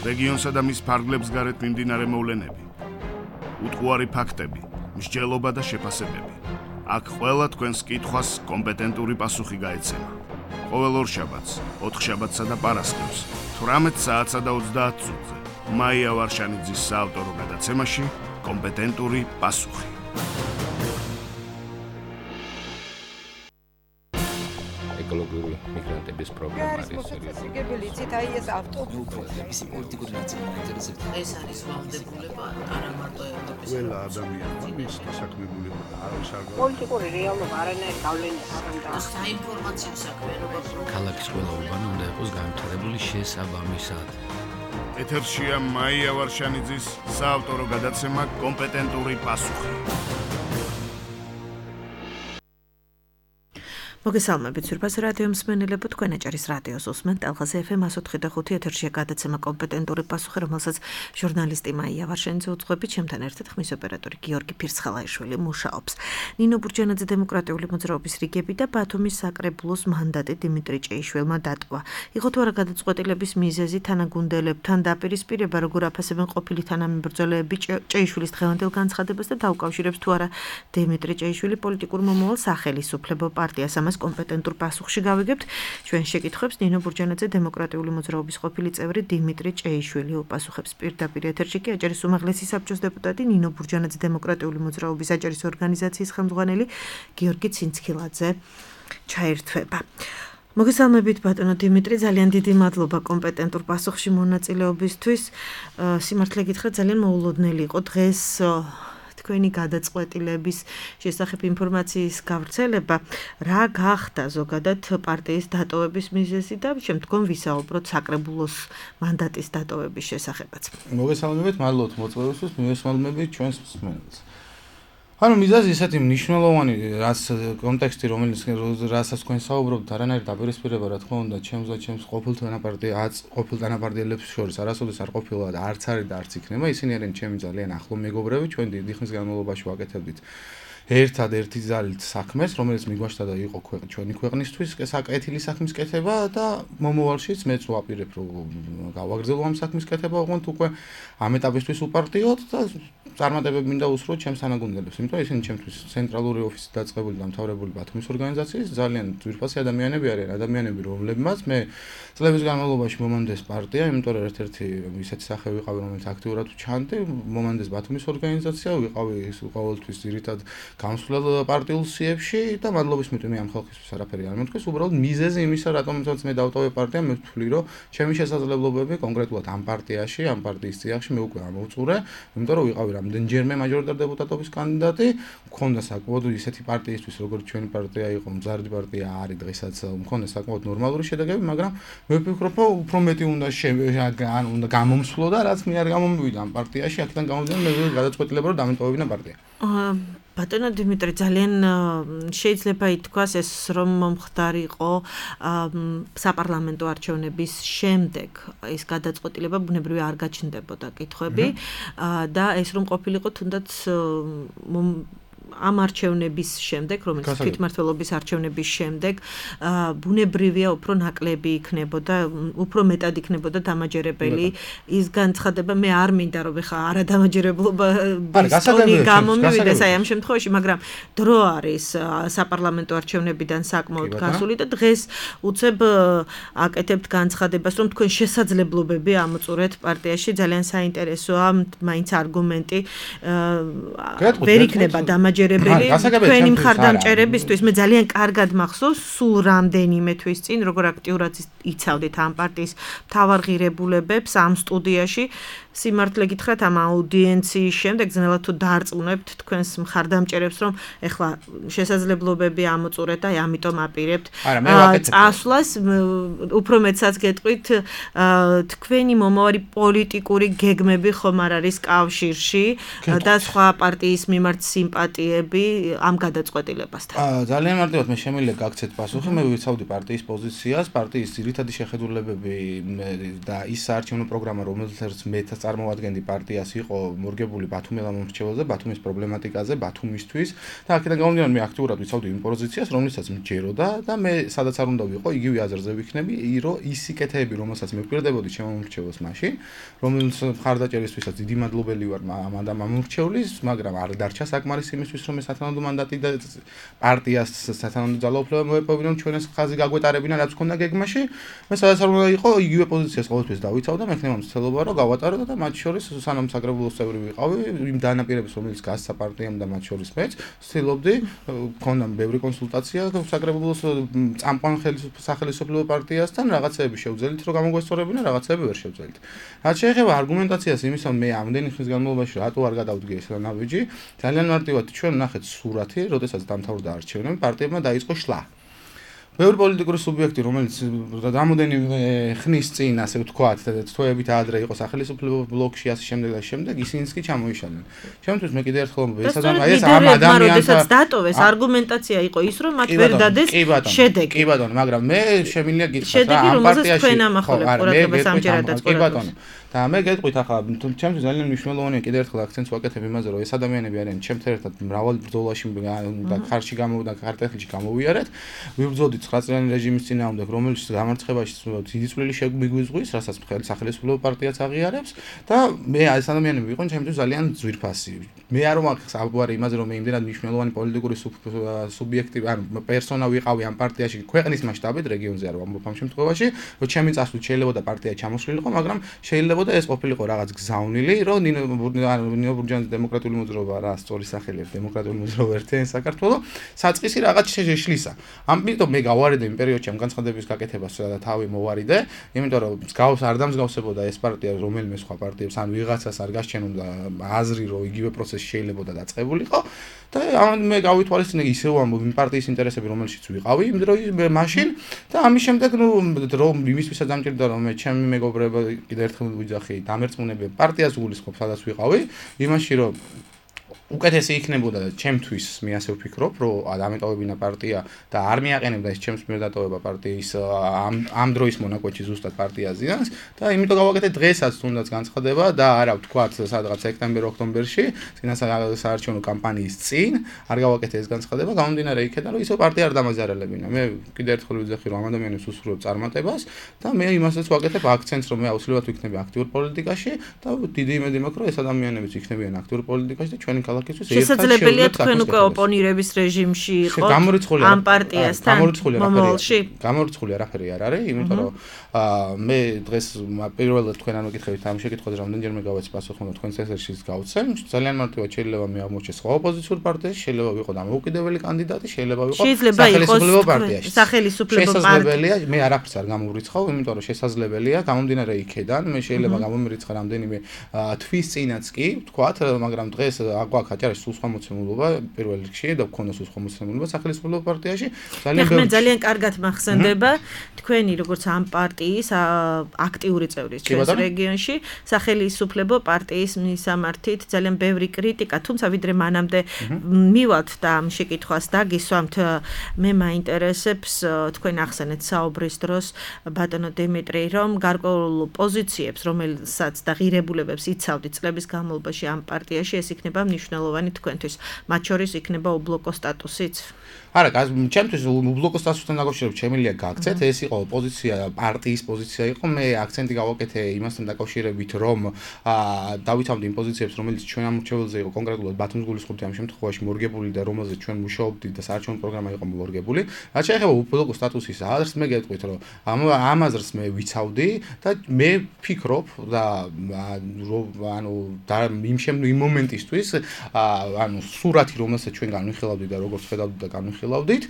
რეგიონსა და მის ფარგლებს გარეთ მიმდინარე მოვლენები, უტყუარი ფაქტები, მსჯელობა და შეფასებები. აქ ყველა თქვენს კითხვას კომპეტენტური პასუხი გაეცემა. ყოველ ორშაბათს, ოთხშაბათსა და პარასკევს, 18 საათსა და 30 წუთზე, მაია ვარშანიძის საავტორო გადაცემაში კომპეტენტური პასუხი. ეკოლოგიური მიგრანტების პრობლემა არის სერიოზული. იცით, აი ეს ავტობუსი პოლიტიკური ნაწილი ინტერესებს. ეს არის ვალდებულება არა მარტო ევროპის. ყველა ადამიანმა მის საქმებულება არის აღარ. პოლიტიკური რეალობა არანაირ გავლენას არ აქვს. საინფორმაციო საქმიანობა ქალაქის ყველა უბანი უნდა იყოს განვითარებული შესაბამისად. ეთერშია მაია ვარშანიძის საავტორო გადაცემა კომპეტენტური პასუხი. მოგესალმებით, ძვირფას რადიო მსმენელებო, თქვენ აჭარის რადიოს უსმენთ ტალღაზე FM 104.5 ეთერშია გადაცემა კომპეტენტური პასუხი, რომელსაც ჟურნალისტი მაია ვარშანიძე უძღვებით, ჩემთან ერთად ხმის ოპერატორი გიორგი ფირცხალაიშვილი მუშაობს. ნინო ბურჯანაძე დემოკრატიული მოძრაობის რიგები და ბათუმის საკრებულოს მანდატი დიმიტრი ჭეიშვილმა დატოვა. იყო თუ არა გადაწყვეტილების მიზეზი თანაგუნდელებთან დაპირისპირება, როგორ აფასებენ ყოფილი თანამებრძოლეები ჭეიშვილის დღევანდელ განცხადებას და დაუკავშირებს თუ არა დიმიტრი ჭეიშვილი პოლიტიკურ მომავალ სახელისუფლებო პარტიას. კომპეტენტურ პასუხში გავიგებთ ჩვენ შეკითხვებს ნინო ბურჯანაძე დემოკრატიული მოძრაობის ყოფილი წევრი დიმიტრი ჭეიშვილი უპასუხებს პირდაპირ ეთერში კი აჭარის უმაღლესი საბჭოს დეპუტატი ნინო ბურჯანაძე დემოკრატიული მოძრაობის აჭარის ორგანიზაციის ხელმძღვანელი გიორგი ცინცქილაძე ჩაერთვება. მოგესალმებით ბატონო დიმიტრი, ძალიან დიდი მადლობა კომპეტენტურ პასუხში მონაწილეობისთვის. სიმართლე გითხრათ, ძალიან მოულოდნელი იყო დღეს თქვენი გადაწყვეტილების შესახებ ინფორმაციის გავრცელება. რა გახდა ზოგადად პარტიის დატოვების მიზეზი და შემდგომ ვისაუბროთ საკრებულოს მანდატის დატოვების შესახებაც. მოგესალმებით, მადლობთ მოწვევისთვის, მოგესალმებით ჩვენს მსმენელს. ანუ მიზეზი ისეთი მნიშვნელოვანი, კონტექსტი, რასაც თქვენ საუბრობთ, არანაირ დაპირისპირება, რა თქმა უნდა, ჩემს ყოფილ თანაპარტიელებს შორის არასოდეს არ ყოფილა და არც არის და არც იქნება. ისინი არიან ჩემი ძალიან ახლო მეგობრები, ჩვენ დიდი ხნის განმავლობაში ვაკეთებდით ერთადერთი ძალით საქმეს, რომელიც მიგვაშთა და იყო ჩვენი ქვეყნისთვის საკეთილი საქმის კეთება და მომავალშიც მეც ვაპირებ, რომ გავაგრძელო ამ საქმის კეთება, ოღონდ უკვე ამ ეტაპისთვის უპარტიოთ და წარმატებები მინდა უსურვოთ ჩემს თანაგუნდელებს, იმიტომ ისინი ჩემთვის ცენტრალური ოფისი დაწყებული და მთავრებული ბათუმის ორგანიზაციის ძალიან ძვირფასი ადამიანები არიან, ადამიანები, რომლებმაც მე წლების განმავლობაში მომანდეს პარტია, იმიტომ რომ ერთ-ერთი ისეთი სახე ვიყავი, რომელიც აქტიურად ვჩანდი, მომანდეს ბათუმის ორგანიზაცია, ვიყავი ყოველთვის ძირითად გამსვლელ პარტიულ სიებში და მადლობის მიტომი ამ ხალხისთვის არაფერი არ მომთქვეს, უბრალოდ მიზეზი იმისა, რატომაც მე დავტოვე პარტია, მე ვთვლი, რომ ჩემი შესაძლებლობები კონკრეტულად ამ პარტიაში, ამ პარტიის წიაღში მე უკვე ამოვწურე, იმიტომ რომ ვიყავი რამდენჯერმე მაჟორიტარ დეპუტატობის კანდიდატი, მქონდა საკმაოდ ისეთი პარტიისთვის, როგორც ჩვენი პარტია იყო, მზარდი პარტია არის დღესაც, მქონდა საკმაოდ ნორმალური შედეგები, მაგრამ მე ვფიქრობ, რომ უფრო მეტი უნდა გამომსვლო და რაც მე არ გამომივიდა ამ პარტიაში, აქედან გამომდინარე მე გადაწყვეტილება რომ დამეტოვებინა პარტია. ბატონო დიმიტრი, ძალიან შეიძლება ითქვას ეს რომ მომხდარიყო საპარლამენტო არჩევნების შემდეგ ეს გადაწყვეტილება ბუნებრივი არ გაჩნდებოდა კითხვები და ეს რომ ყოფილიყო თუნდაც ამ არჩევნების შემდეგ, რომელიც თვითმმართველობის არჩევნების შემდეგ ბუნებრივია უფრო ნაკლები იქნებოდა, უფრო მეტად იქნებოდა დამაჯერებელი ის განცხადება, მე არ მინდა რომ ეხა არადამაჯერებლობა ტონი გამომივიდეს აი ამ შემთხვევაში, მაგრამ დრო არის საპარლამენტო არჩევნებიდან საკმაოდ გასული და დღეს უცებ აკეთებთ განცხადებას, რომ თქვენ შესაძლებლობები ამოწურეთ პარტიაში, ძალიან საინტერესოა, მაინც არგუმენტი ვერ იქნება დამაჯერებელი თქვენი მხარდამჭერებისთვის. მე ძალიან კარგად მახსოვს სულ რამდენიმე თვის წინ როგორ აქტიურად იცავდით ამ პარტიის მთავარ ღირებულებებს ამ სტუდიაში. სიმართლე გითხრათ, ამ აუდიენციის შემდეგ ძნელად თუ დაარწმუნებთ თქვენს მხარდამჭერებს, რომ ეხლა შესაძლებლობები ამოწურეთ და ამიტომ აპირებთ წასვლას. უფრო მეტსაც გეტყვით, თქვენი მომავალი პოლიტიკური გეგმები ხომ არ არის კავშირში და სხვა პარტიის მიმართ სიმპათია პარტიები ამ გადაწყვეტილებასთან? ძალიან მარტივად მე შემიძლია გაგცეთ პასუხი. მე ვიცავდი პარტიის პოზიციას, პარტიის ძირითადი შეხედულებები და ის საარჩევნო პროგრამა, რომელსაც მე წარმოადგენდი პარტიას, იყო მორგებული ბათუმელა მომრჩეველზე, ბათუმის პრობლემატიკაზე, ბათუმისთვის და აქედან გამომდინარე მე აქტიურად ვიცავდი იმ პოზიციას, რომელსაც მჯეროდა და მე სადაც არ უნდა ვიყო, იგივე აზრზე ვიქნები, რომ ის სიკეთეები, რომელსაც მე ვპირდებოდი ჩემო მომრჩეველს მაშინ, რომელიც მხარდაჭერისთვისაც დიდი მადლობელი ვარ ამ მომრჩევლის, მაგრამ არ დარჩა საკმარის იმისთვის, რომ ეს სათანადო მანდატი და პარტიას სათანადო ძალაუფლება მოეპოვებინონ ჩვენს ხაზი გაგვეტარებინა, რაც ქონდა გეგმაში. მე სადაც არ უნდა იყო, იგივე პოზიციას ყოველთვის დავიცავდა, მე ხნევა მცდელობა რომ გავატარო და მათ შორის სანამ საკრებულოს წევრი ვიყავი, იმ დანაპირების რომელიც გასცა პარტიამ და მათ შორის მეც ვცდილობდი, ქონდა ბევრი კონსულტაცია საკრებულოს წამყვან სახელმწიფო პარტიასთან, რაღაცეები შევძელით რომ გამოგვესწორებინა, რაღაცეები ვერ შევძელით. რაც შეეხება არგუმენტაციას იმის, რომ მე ამდენი ხნის განმავლობაში რატო არ გადავდგე ეს ნაბიჯი, ძალიან მარტივად ჩვენ ნახეთ სურათი, როდესაც დამთავრდა არჩევნები, პარტიებმა დაიწყო შლა. ბევრი პოლიტიკური სუბიექტი, რომელიც რამოდენიმე ხნის წინ, ასე ვთქვათ, თვეებით ადრე იყო სახელმწიფო ბლოკში, ასე შემდეგ და შემდეგ, ისინიც კი ჩამოიშალნენ. ჩემთვის მე კიდევ ერთხელ ეს ამ ადამიანს როდესაც დატოვეს, არგუმენტაცია იყო ის, რომ მათ ვერ დადეს შედეგი. კი ბატონო, მაგრამ მე შემიძლია გითხრათ, შედეგი, რომელსაც თქვენ ამახვილებთ ყურადღებას ამჯერადაც ყურადღებას. და მე გეტყვით ახლა ჩემთვის ძალიან მნიშვნელოვანია კიდევ ერთხელ აქცენტს ვაკეთებ იმაზე, რომ ეს ადამიანები არიან ჩემთან ერთად მრავალ ბრძოლაში და ხარში გამოვიდა, ქართლში გამოვიარეთ. ვიბრძოდით 9 წლიანი რეჟიმის წინააღმდეგ, რომელიც გამარცხებაში დიდი წვლილი შეგვიგვიზღვის, რასაც სახელმწიფო პარტიაც აღიარებს და მე ეს ადამიანები ვიყო ჩემთვის ძალიან ძვირფასი. მე არ ვარ იმაზე, რომ მე იმდენად მნიშვნელოვანი პოლიტიკური სუბიექტი, ანუ პერსონა ვიყავი ამ პარტიაში ქვეყნის მასშტაბით, რეგიონზე არ ვამბობ ამ შემთხვევაში, რომ ჩემი წასვლით შეიძლება და პარტია ჩამოსვლილიყო, მაგრამ შეიძლება და ეს ყოფილიყო რაღაც გზავნილი, რომ ნინო ბურჯანის დემოკრატიული მოძრაობა რა სწორი სახელი აქვს, დემოკრატიული მოძრაობა ერთიანი საქართველო, საწყისი რაღაც შეშლისა. ამიტომ მე გავარიდე იმ პერიოდში ამ განცხადების გაკეთებას და თავი მოვარიდე, იმიტომ რომ მსგავს არ დამსგავსებოდა ეს პარტია რომელიმე სხვა პარტიებს, ან ვიღაცას არ გასჩენოდა აზრი, რომ იგივე პროცესი შეიძლება დაწყებულიყო და მე გავითვალისწინე ისევ ამ პარტიის ინტერესები, რომელშიც ვიყავი იმ დროის მაშინ და ამის შემდეგ რომ იმისთვისაც დამჭირდა რომ მე ჩემი მეგობრები კიდევ ერთხელ ვიძახი დამერწმუნებია პარტიას გულისხმობ, სადაც ვიყავი, იმაში რომ უკეთესი იქნებოდა ჩემთვის, მე ასე ვფიქრობ, რომ დამეტოვებინა პარტია და არ მიაყენებდა ეს ჩემს მიერ დატოვება პარტიის ამ დროის მონაკვეთში ზუსტად პარტია ზიანს და იმიტომ გავაკეთე დღესაც თუნდაც განცხადება და არა ვთქვათ სადღაც სექტემბერ-ოქტომბერში, საარჩევნო კამპანიის წინ, არ გავაკეთე ეს განცხადება, გამომდინარე იქიდან, რომ ისო პარტია არ დამაზარალებინა. მე კიდევ ერთხელ ვიძახი, რომ ამ ადამიანებს უსურვებ წარმატებას და მე იმასაც ვაკეთებ აქცენტს, რომ მე აუცილებლად ვიქნები აქტიურ პოლიტიკაში და დიდი იმედი მაქვს, რომ ეს ადამიანებიც იქნებიან აქტიურ პოლიტიკაში და ჩვენი შესაძლებელია თქვენ უკვე ოპონირების რეჟიმში იყო ამ პარტიასთან მომავალში. გამორიცხული არაფერი არ არის, იმიტომ რომ მე დღეს პირველად თქვენან მეკითხებით ამ შეკითხვაზე რამდენჯერმე გავეცი პასუხი, რომ თქვენს ეთერშიც გავცემ. ძალიან მარტივად შეიძლება მე აღმოჩნდეს სხვა ოპოზიციურ პარტიაში, შეიძლება ვიყო დამოუკიდებელი კანდიდატი, შეიძლება ვიყო სახელმწიფო პარტიაში. სახელმწიფო პარტია, მე არაფერს არ გამომრიცხავ, იმიტომ რომ შესაძლებელია გამომდინარე იქედან, მე შეიძლება გამომრიცხა რამდენიმე თვის წინაც კი, ვთქვათ, მაგრამ დღეს აგვაქვს აჭარაში სულ სხვა მოცემულობა პირველ რიგში და გქონდა სულ სხვა მოცემულობა სახელმწიფო პარტიაში. ძალიან კარგად მახსენდება თქვენი როგორც ამ პარტიის აქტიური წევრი ჩვენს რეგიონში, სახელმწიფო პარტიის მისამართით ძალიან ბევრი კრიტიკა, თუმცა ვიდრე მანამდე მივალთ და ამ შეკითხვას დაგისვამთ, მე მაინტერესებს თქვენ ახსენეთ საუბრის დროს ბატონო დიმიტრი, რომ გარკვეულ პოზიციებს, რომელსაც და ღირებულებებს იცავდით წლების განმავლობაში ამ პარტიაში, ეს იქნება მნიშვნელოვანი თქვენთვის. მათ შორის იქნება უბლოკო სტატუსიც. არა, ჩემთვის უბლოკო სტატუსთან დაკავშირებით შემიძლია გაგცეთ, ეს იყო პოზიცია, პარტიის პოზიცია იყო, მე აქცენტი გავაკეთე იმასთან დაკავშირებით, რომ დავითავდი იმ პოზიციებს, რომელიც ჩვენ ამორჩეველზე იყო კონკრეტულად ბათუმის გულისხმობთ ამ შემთხვევაში მორგებული და რომელზეც ჩვენ მუშაობდით და საარჩევნო პროგრამა იყო მორგებული. რაც შეეხება უბლოკო სტატუსის აზრს, მე გეტყვით, რომ ამ აზრს მე ვიცავდი და მე ვფიქრობ და იმ მომენტისთვის ანუ სურათი, რომელსაც ჩვენ განვიხილავდით და როგორც ხედავდით და განვიხილავდით,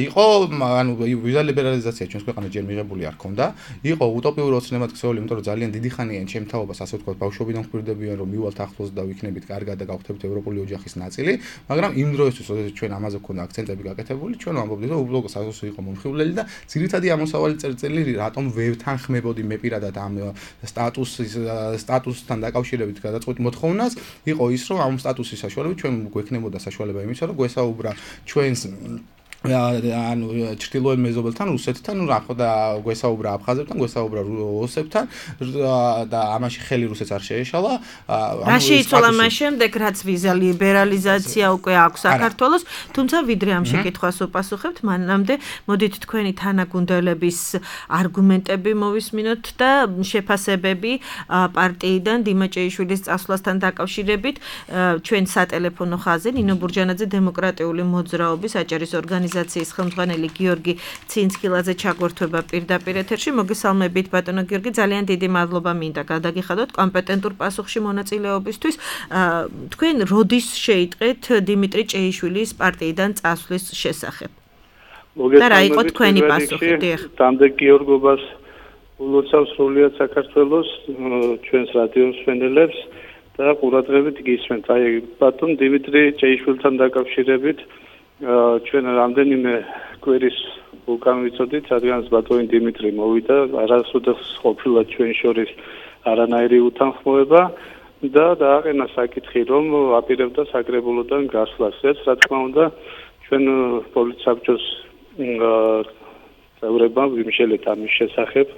იყო ანუ ვიზა ლიბერალიზაცია ჩვენს ქვეყანაში ჯერ მიღებული არ ქონდა. იყო უტოპიური ოცნებად ქცეული, იმიტომ რომ ძალიან დიდი ხანია ჩემ თაობას, ასე ვთქვათ, ბავშვობიდან ვხვირდებიან, რომ მივალთ ახლოს და ვიქნებით კარგად და გავხდებით ევროპული ოჯახის ნაწილი, მაგრამ იმ დროისთვის, როდესაც ჩვენ ამაზე გქონდა აქცენტები გაკეთებული, ჩვენ ვამბობდით, რომ უბლოკო სტატუსი იყო მომხიბვლელი და ძირითადი ამოსავალი წერტილი რატომ ვეთანხმებოდი მე პირადად ამ სტატუსთან დაკავშირებით გადაწყვეტ მოთხოვნას, იყო ის, რომ ამ სტატუსის შემოსვლის საშუალებით ჩვენ გვექნებოდა საშუალება იმისა, რომ გვესაუბრა ჩვენს ანუ ჩრდილოეთ მეზობელთან, რუსეთთან, რა ხო და გვესაუბრა აფხაზებთან, გვესაუბრა ოსებთან და ამაში ხელი რუსეთს არ შეეშალა. რა შეიცვალა მას შემდეგ, რაც ვიზა ლიბერალიზაცია უკვე აქვს საქართველოს, თუმცა ვიდრე ამ შეკითხვას უპასუხებთ, მანამდე მოდით თქვენი თანაგუნდელების არგუმენტები მოვისმინოთ და შეფასებები პარტიიდან დიმაჭეიშვილის წასვლასთან დაკავშირებით ჩვენ სატელეფონო ხაზზე ნინო ბურჯანაძე დემოკრატიული მოძრაობის აჭარის ორგანიზაციის ხელმძღვანელი გიორგი ცინცკილაძე ჩაგვერთვება პირდაპირ ეთერში. მოგესალმებით ბატონო გიორგი, ძალიან დიდი მადლობა მინდა გადაგიხადოთ კომპეტენტურ პასუხში მონაწილეობისთვის. თქვენ როდის შეიტყეთ დიმიტრი ჭეიშვილის პარტიიდან წასვლის შესახებ? და რა იყო თქვენი პასუხი? დამდეგ გიორგობას ულოცავს სრულიად საქართველოს ჩვენს რადიოს მსმენელებს და ყურადღებით გისმენთ. აი ბატონ დიმიტრი ჭეიშვილთან დაკავშირებით ჩვენ რამდენიმე კვირის უკან ვიცოდით, რადგანაც ბატონი დიმიტრი მოვიდა, არასოდეს ყოფილა ჩვენ შორის არანაირი უთანხმოება და დააყენა საკითხი, რომ აპირებდა საკრებულოდან გასვლას. ეს რა თქმა უნდა ჩვენ პოლიცსაბჭოს წევრებმა ვიმშელეთ ამის შესახებ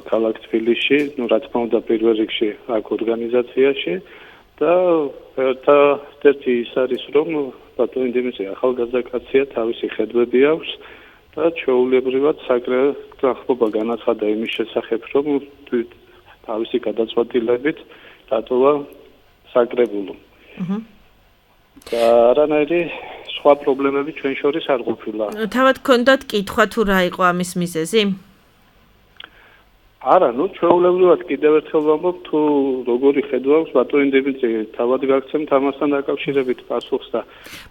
ქალაქ თბილისში, რა თქმა უნდა პირველ რიგში აქ ორგანიზაციაში და ერთ-ერთი ის არის, რომ ბატონი დიმიტრი ახალგაზრდა კაცია, თავისი ხედვები აქვს და ჩვეულებრივად საკრებულო განაცხადა იმის შესახებ, რომ თავისი გადაწყვეტილებით დატოვა საკრებულო. და არანაირი სხვა პრობლემები ჩვენ შორის არ ყოფილა. თავად გქონდათ კითხვა თუ რა იყო ამის მიზეზი? არა, ჩვეულებრივად კიდევ ერთხელ ვამბობ, თუ როგორი ხედვა აქვს ბატონი დიმიტრი, თავად გაგცემთ ამასთან დაკავშირებით პასუხს და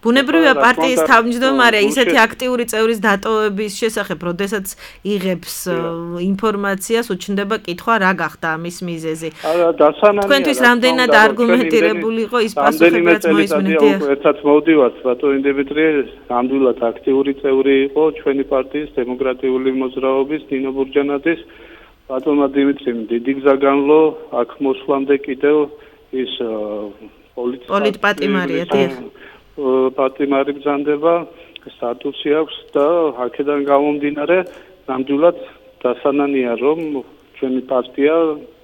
ბუნებრივია პარტიის თავმჯდომარე ისეთი აქტიური წევრის დატოვების შესახებ, როდესაც იღებს ინფორმაციას, უჩნდება კითხვა რა გახდა ამის მიზეზი. არა, დასანანია. თქვენთვის რამდენად არგუმენტირებული იყო ის პასუხები, რაც მოისმინეთ? ერთად მოვდივართ, ბატონი დიმიტრი ნამდვილად აქტიური წევრი იყო ჩვენი პარტიის დემოკრატიული მოძრაობის ნინო ბურჯანაძის. ბატონმა დიმიტრიმ დიდი გზა განლო, აქ მოსვლამდე კიდევ ის პოლიტპატიმარია, დიახ. პატიმარი ბრძანდება, სტატუსი აქვს და აქედან გამომდინარე, ნამდვილად დასანანია, რომ ჩვენი პარტია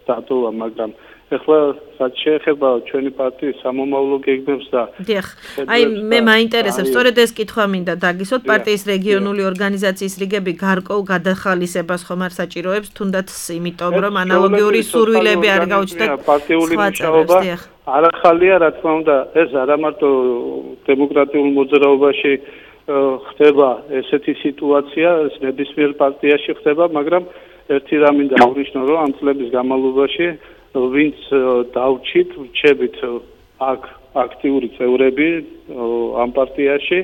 დატოვა, მაგრამ ეხლა რაც შეეხება ჩვენი პარტიის სამომავლო გეგმებს და დიახ. აი მე მაინტერესებს, სწორედ ეს კითხვა მინდა დაგისვათ, პარტიის რეგიონული ორგანიზაციის რიგები გარკვეულ გადახალისებას ხომ არ საჭიროებს, თუნდაც იმიტომ, რომ ანალოგიური სურვილები არ გაუჩნდათ პარტიული მუშაობა არ ახალია, რა თქმა უნდა, ეს არა მარტო დემოკრატიულ მოძრაობაში ხდება ესეთი სიტუაცია, ეს ნებისმიერ პარტიაში ხდება, მაგრამ ერთი რამ მინდა აღნიშნო, რომ ამ წლების განმავლობაში ვინც დავჭით, რჩებით აქ აქტიური წევრები ამ პარტიაში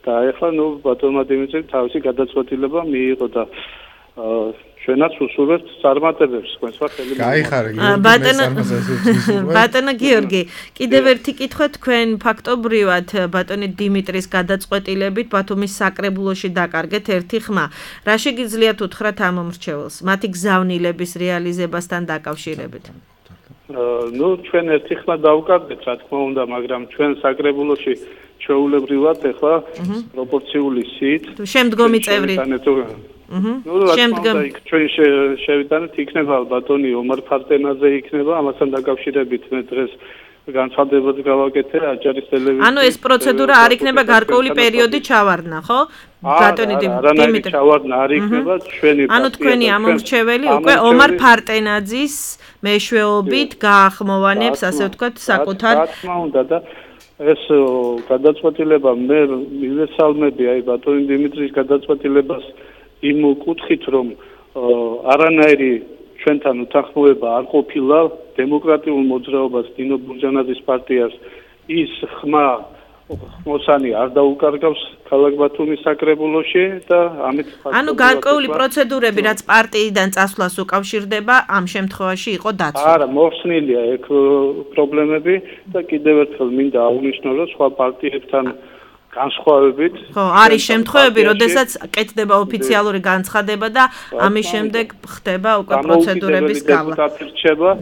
და ეხლა ბატონმა დიმიტრიმ თავისი გადაწყვეტილება მიიღო და ჩვენაც უსურვებთ წარმატებებს, თქვენსა ხელი ბატონო გიორგი, კიდევ ერთი კითხვა, თქვენ ფაქტობრივად ბატონი დიმიტრის გადაწყვეტილებით ბათუმის საკრებულოში დაკარგეთ ერთი ხმა. რა შეგიძლიათ უთხრათ ამ მომრჩეველს, მათი გზავნილების რეალიზებასთან დაკავშირებით? ჩვენ ერთი ხმა დავკარგეთ, რა თქმა უნდა, მაგრამ ჩვენ საკრებულოში ჩვეულებრივად ეხლა პროპორციული სიით შემდგომი წევრი შემდგომ ჩვენ შევიტანეთ, იქნება ბატონი ომარ ფარტენაძე იქნება, ამასთან დაკავშირებით მე დღეს განცხადებაც გავაკეთე აჭარის ტელევიზიაში. ანუ ეს პროცედურა არ იქნება გარკვეული პერიოდი ჩავარდნა, ხო? ბატონი დიმიტრი ჩავარდნა არ იქნება ჩვენი პარტია. ანუ თქვენი ამომრჩეველი უკვე ომარ ფარტენაძის მეშვეობით გაახმოვანებს, ასე ვთქვათ, საკუთარ რა თქმა უნდა და ეს გადაწყვეტილება მე მივესალმები აი ბატონი დიმიტრის გადაწყვეტილებას იმ კუთხით, რომ არანაირი ჩვენთან უთანხმოება არ ყოფილა დემოკრატიულ მოძრაობას ნინო ბურჯანაძის პარტიას ის ხმა მოსანი არ დაუკარგავს ქალაქ ბათუმის საკრებულოში და ამით ანუ გარკვეული პროცედურები რაც პარტიიდან წასვლას უკავშირდება ამ შემთხვევაში იყო დაცული. არა, მოხსნილია ეგ პრობლემები და კიდევ ერთხელ მინდა აღვნიშნო, რომ სხვა პარტიებთან განსხვავებით. ხო, არის შემთხვევები, როდესაც კეთდება ოფიციალური განცხადება და ამის შემდეგ ხდება უკვე პროცედურების გავლა.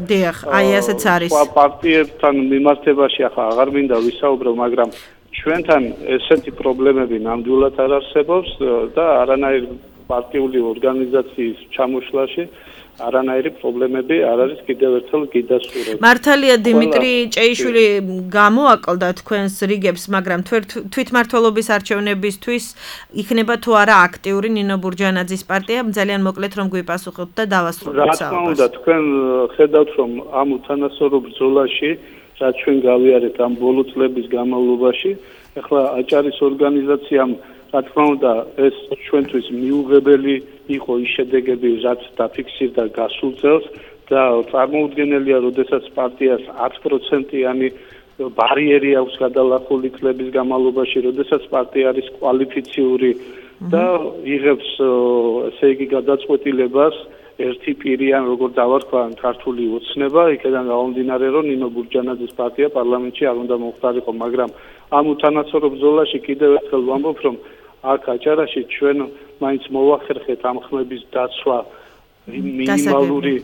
დიახ, აი ასეც არის. სხვა პარტიებთან მიმართებაში ახლა აღარ მინდა ვისაუბრო, მაგრამ ჩვენთან ესეთი პრობლემები ნამდვილად არ არსებობს და არანაირ პარტიული ორგანიზაციის ჩამოშლაში არანაირი პრობლემები არ არის კიდევ ერთხელ გიდასურვებ. მართალია დიმიტრი ჭეიშვილი გამოაკლდა თქვენს რიგებს, მაგრამ თვითმმართველობის არჩევნებისთვის იქნება თუ არა აქტიური ნინო ბურჯანაძის პარტია, ძალიან მოკლედ რომ გვიპასუხოთ და დავასრულოთ საუბარს. რა თქმა უნდა, თქვენ ხედავთ რომ ამ უთანასწორო ბრძოლაში, რაც ჩვენ გავიარეთ ამ ბოლო წლების განმავლობაში, ახლა აჭარის ორგანიზაციამ რა თქმა უნდა ეს ჩვენთვის მიუღებელი იყო ის შედეგები, რაც დაფიქსირდა გასულ წელს და წარმოუდგენელია, როდესაც პარტიას 10%-იანი ბარიერი აქვს გადალახული წლების განმავლობაში, როდესაც პარტია არის კვალიფიციური და იღებს ესე იგი გადაწყვეტილებას ერთი პირიან, როგორ დავარქვა ქართული ოცნება, იქიდან გამომდინარე, რომ ნინო ბურჯანაძის პარტია პარლამენტში არ უნდა მომხდარიყო, მაგრამ ამ უთანასწორო ბრძოლაში კიდევ ერთხელ ვამბობ, რომ აქ აჭარაში ჩვენ მაინც მოვახერხეთ ამ ხმების დაცვა მინიმალური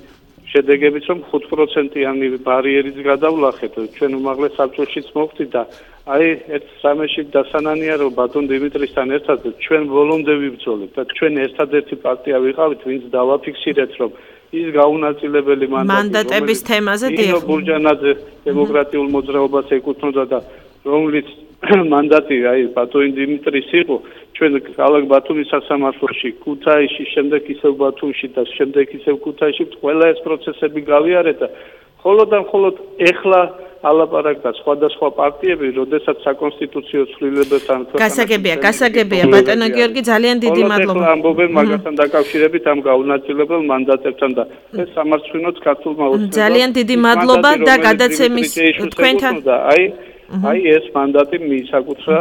შედეგებით, რომ 5%-იანი ბარიერიც გადავლახეთ. ჩვენ უმაღლეს საბჭოშიც მოვხდით და აი ერთ სამეში დასანანია, რომ ბატონ დიმიტრისთან ერთად ჩვენ ბოლომდე ვიბრძოლეთ და ჩვენ ერთადერთი პარტია ვიყავით, ვინც დავაფიქსირეთ, რომ ის გაუნაწილებელი მანდატების თემაზე ნინო ბურჯანაძე დემოკრატიულ მოძრაობას ეკუთვნოდა და რომლის მანდატი აი ბატონ დიმიტრის იყო, ჩვენ ქალაქ ბათუმის სასამართლოში, ქუთაისში, შემდეგ ისევ ბათუმში და შემდეგ ისევ ქუთაისში ყველა ეს პროცესები გავიარეთ და მხოლოდ ეხლა ალაპარაკდა სხვადასხვა პარტიები, როდესაც საკონსტიტუციო ცვლილებებთან გასაგებია ბატონო გიორგი, ძალიან დიდი მადლობა. ამბობენ მაგასთან დაკავშირებით ამ გაუნაწილებელ მანდატებთან და ეს სამარცხვინოც ქართულმა ოცნებამ ძალიან დიდი მადლობა და გადაცემის თქვენთან აი ეს მანდატი მიისაკუთრა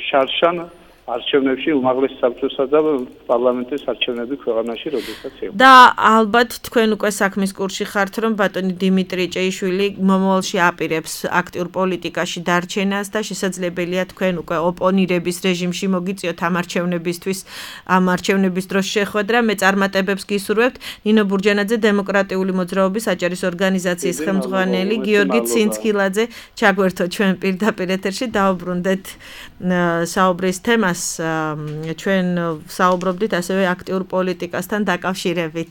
შარშან არჩევნებში უმაღლეს საბჭოსა და პარლამენტის არჩევნები ქვეყანაში, როდესაც იყო. და ალბათ თქვენ უკვე საქმის კურსში ხართ, რომ ბატონი დიმიტრი ჭეიშვილი მომავალში აპირებს აქტიურ პოლიტიკაში დარჩენას და შესაძლებელია თქვენ უკვე ოპონირების რეჟიმში მოგიწიოთ ამ არჩევნებისთვის, ამ არჩევნების დროს შეხვედრა. მე წარმატებებს გისურვებთ. ნინო ბურჯანაძე დემოკრატიული მოძრაობის აჭარის ორგანიზაციის ხელმძღვანელი გიორგი ცინცქილაძე ჩაგვერთო ჩვენ პირდაპირ ეთერში, დაუბრუნდეთ საუბრის თემას. ჩვენ საუბრობდით ასევე აქტიურ პოლიტიკასთან დაკავშირებით.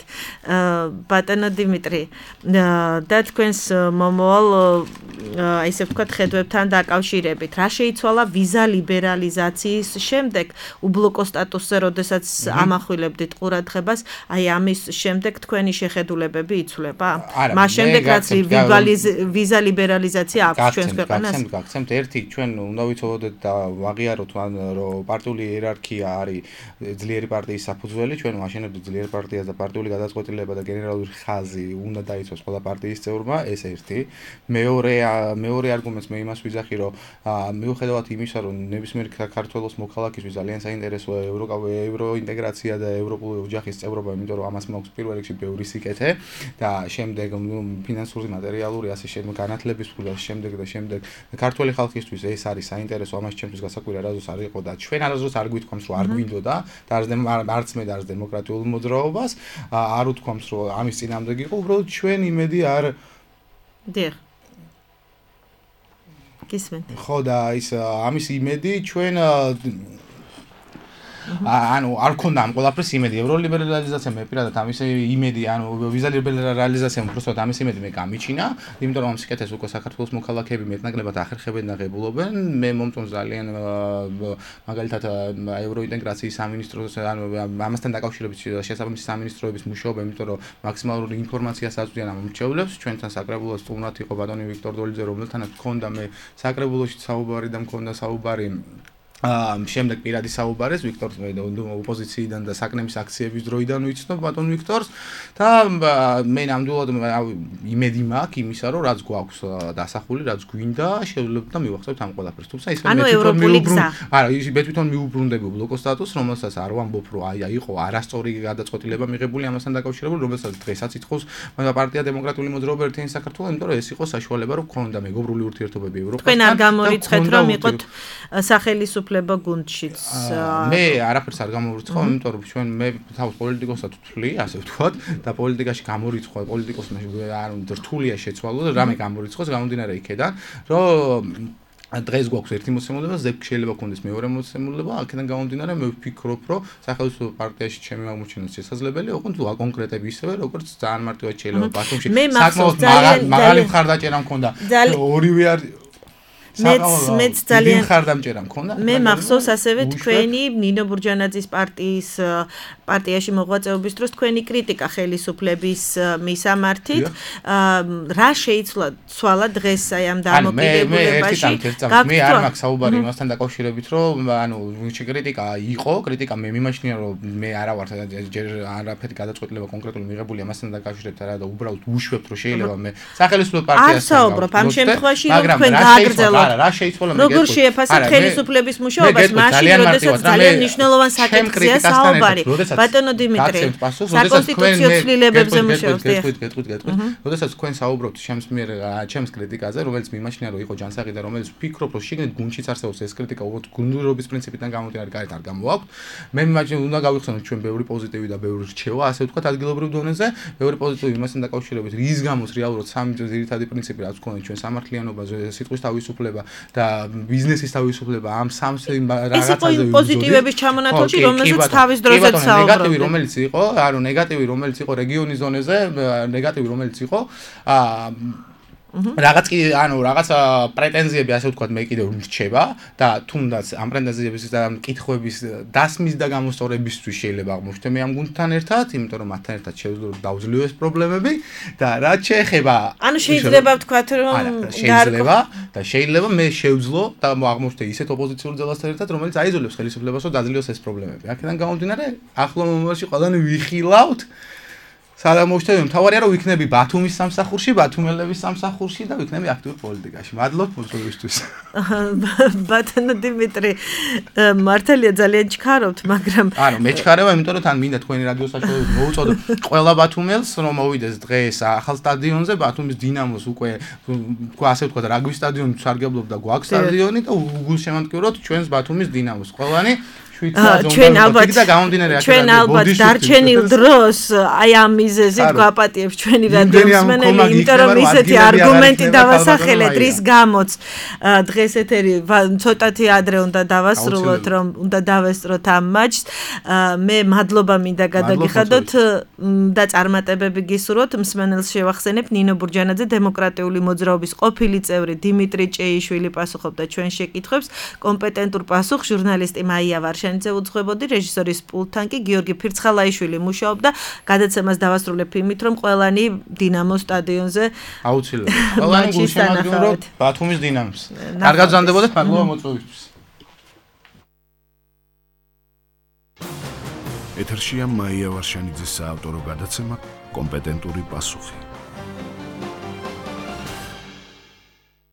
ბატონო დიმიტრი, და თქვენს მომავალ ისე ვთქვათ ხედვებთან დაკავშირებით, რა შეიცვალა ვიზა ლიბერალიზაციის შემდეგ უბლოკო სტატუსზე, როდესაც ამახვილებდით ყურადღებას, აი ამის შემდეგ თქვენი შეხედულებები იცვლება? მას შემდეგ რაც ვიზა ლიბერალიზაცია აქვს ჩვენს ქვეყანას? გაგცემთ ერთი, ჩვენ უნდა ვიცოდეთ და ვაღიაროთ, რომ პარტიული იერარქია არის ძლიერი პარტიის საფუძველი, ჩვენ ვაშენებთ ძლიერ პარტიას და პარტიული გადაწყვეტილება და გენერალური ხაზი უნდა დაიცვას ყველა პარტიის წევრმა, ეს ერთი. მეორე არგუმენტს მე იმას ვიძახი, რომ მიუხედავად იმისა, რომ ნებისმიერ საქართველოს მოქალაქისთვის ძალიან საინტერესოა ევროინტეგრაცია და ევროპული ოჯახის წევრობა, იმიტომ რომ ამას მაქვს პირველ რიგში ბევრი სიკეთე და შემდეგ ფინანსური, მატერიალური ასე შემდეგ განათლების ფული და შემდეგ ქართველი ხალხისთვის ეს არის საინტერესო, ამას ჩემთვის გასაკვირი არასდროს არ იყო და ჩვენ არასდროს არ გვითქვამს, რომ არ გვინდოდა და არც მე და არც დემოკრატიულ მოძრაობას არ უთქვამს, რომ ამის წინამდე იყო, უბრალოდ ჩვენ იმედი არ დიახ. გისმენთ. ხო და ის ამის იმედი ჩვენ ანუ არ ქონდა ამ ყველაფრის იმედი. ევროლიბერალიზაცია მე პირადად ამის იმედი, ანუ ვიზა ლიბერალიზაცია უბრალოდ ამის იმედი მე გამიჩინა, იმიტომ რომ ამ სიკეთეს უკვე საქართველოს მოქალაქეები მეტნაკლებად ახერხებენ და ღებულობენ. მე მომწონს ძალიან მაგალითად ევროინტეგრაციის სამინისტროს, ანუ ამასთან დაკავშირებით შესაბამისი სამინისტროების მუშაობა, იმიტომ რომ მაქსიმალური ინფორმაციას აწვდიან ამ მრჩევლებს. ჩვენთან საკრებულოს სტუმრად იყო ბატონი ვიქტორ დოლიძე, რომელთანაც მქონდა მე საკრებულოში საუბარი და მქონდა საუბარი შემდეგ პირადი საუბარეს ვიქტორს ოპოზიციიდან და საკნემის აქციების დროიდან ვიცნობ ბატონ ვიქტორს და მე ნამდვილად იმედი მაქვს იმისა რომ რაც გვაქვს დასახული რაც გვინდა შევძლებთ და მივახცევთ ამ ყველაფერს თუმცა ის მე თვითონ მიუბრუნდები ბლოკოს სტატუსს რომელსაც არ ვამბობ რომ იყო არასწორი გადაწყვეტილება მიღებული ამასთან დაკავშირებული რომელსაც დღესაც ითხოვს პარტია დემოკრატიული მოძრაობა ერთიანი საქართველო იმიტომ რომ ეს იყო საშუალება რომ გქონდა მეგობრული ურთიერთობები ევროპასთან თქვენ არ გამორიცხეთ რომ იყოთ სახელისუფლება გუნდშიც მე არაფერს არ გამორიცხავ იმიტომ რომ ჩვენ მე თავს პოლიტიკოსად ვთვლი ასე ვთქვათ და პოლიტიკაში გამორიცხვა პოლიტიკოსმა არ უნდა რთულია შეცვალო და რამე გამორიცხოს გამომდინარე იქედან რომ დღეს გვაქვს ერთი მოცემულობა, შეიძლება გქონდეს მეორე მოცემულობა, აქედან გამომდინარე მე ვფიქრობ, რომ სახელმწიფო პარტიაში ჩემი აღმოჩენას შესაძლებელი ოღონდ კონკრეტები ისევე, როგორც ძალიან მარტივად შეიძლება ბათუმში საკმაოდ მაღალი მხარდაჭერა მქონდა. ორივე არ მეც ძალიან მხარდამჭერა მქონდა. მე მახსოვს ასევე თქვენი ნინო ბურჯანაძის პარტიაში მოღვაწეობის დროს თქვენი კრიტიკა ხელისუფლების მისამართით. რა შეიცვალა დღეს აი ამ დამოკიდებულებაში? მე არ მაქვს საუბარი იმასთან დაკავშირებით, რომ ანუ კრიტიკა იყო, კრიტიკა მე მიმაჩნია, რომ მე არა ვარ ჯერ არაფერი გადაწყვეტილება კონკრეტული მიღებული ამასთან დაკავშირებით არა და უბრალოდ უშვებთ, რომ შეიძლება მე სახელმწიფო პარტიას საუბრობ ამ შემთხვევაში რომ თქვენ გააგრძელოთ რა შეიცვალა მე როგორ შეეფასეთ ხელისუფლების მუშაობას მაშინ როდესაც ძალიან მნიშვნელოვან საკითხია საუბარი ბატონო დიმიტრი საკონსტიტუციო ცვლილებებზე მუშაობს როდესაც თქვენ საუბრობთ ჩემს კრიტიკაზე რომელიც მიმაჩნია რომ იყო ჯანსაღი და რომელიც ვფიქრობ რომ შიგნით გუნდშიც არსებობს ეს კრიტიკა უბრალოდ გუნდურობის პრინციპიდან გამომდინარე გარეთ არ გამოვაქვთ მე მიმაჩნია უნდა გავიხსენოთ ჩვენ ბევრი პოზიტივი და ბევრი რჩევა ასე ვთქვათ ადგილობრივ დონეზე ბევრი პოზიტივი იმასთან დაკავშირებით რის გამოც რეალურად სამი ძირითადი პრინციპი რაც გვქონდა ჩვენ სამართლიანობაზე სიტყვის თავისუფლება და ბიზნესის თავისუფლება ამ სამს რაღაცაზე პოზიტივების ჩამონათვალში რომელზეც თავის დროსაც საუბრობთ ნეგატივი რომელიც იყო რეგიონის ზონეზე ნეგატივი რომელიც იყო რაღაც პრეტენზიები ასე ვთქვათ მე კიდევ რჩება და თუნდაც ამ პრეტენზიების და კითხვების დასმის და გამოსწორებისთვის შეიძლება აღმოჩნდე მე ამ გუნდთან ერთად იმიტომ რომ მათთან ერთად შევძლებ დავძლევ ეს პრობლემები და რაც შეეხება ანუ შეიძლება ვთქვათ რომ შეიძლება მე შევძლო და აღმოჩნდე ისეთ ოპოზიციურ ძალასთან ერთად რომელიც აიძულებს ხელისუფლებას რომ დაძლიოს ეს პრობლემები აქედან გამომდინარე ახლო მომავალში ყველანი ვიხილავთ სალამოშთები მთავარია რომ ვიქნები ბათუმის სამსახურში, ბათუმელების სამსახურში და ვიქნები აქტიურ პოლიტიკაში. მადლობთ მოწვევისთვის. ბატონო დიმიტრი, მართალია ძალიან ჩქარობთ, მაგრამ ანუ მე ჩქარება, იმიტომ რომ თან მინდა თქვენი რადიო საშუალებით მოუწოდო ყველა ბათუმელს რომ მოვიდეს დღეს ახალ სტადიონზე, ბათუმის დინამოს უკვე ასე ვთქვათ, რაგბის სტადიონი სარგებლობდა გვაქვს სტადიონი და უგულშემატკივროთ ჩვენს ბათუმის დინამოს. ყველანი ჩვენ ალბათ დარჩენილ დროს აი ამ მიზეზით გვაპატიებს ჩვენი რადიომსმენელი, იმიტომ რომ ისეთი არგუმენტი დავასახელეთ, რის გამოც დღეს ეთერი ცოტათი ადრე უნდა დავასრულოთ, რომ უნდა დავესწროთ ამ მაჩს. მე მადლობა მინდა გადაგიხადოთ და წარმატებები გისურვოთ. მსმენელს შევახსენებ ნინო ბურჯანაძე დემოკრატიული მოძრაობის ყოფილი წევრი დიმიტრი ჭეიშვილი პასუხობდა ჩვენ შეკითხვებს. კომპეტენტურ პასუხს ჟურნალისტი მაია ვარშენიძე უძღვებოდი, რეჟისორის პულტთან კი გიორგი ფირცხალაიშვილი მუშაობდა. გადაცემას დავასრულებ იმით, რომ ყველანი დინამოს სტადიონზე აუცილებლად. ყველანი გულშემატკივროთ ბათუმის დინამოს. კარგად გზანდებოდეთ, მადლობა მოწვევისთვის. ეთერშია მაია ვარშენიძის საავტორო გადაცემა კომპეტენტური პასუხი.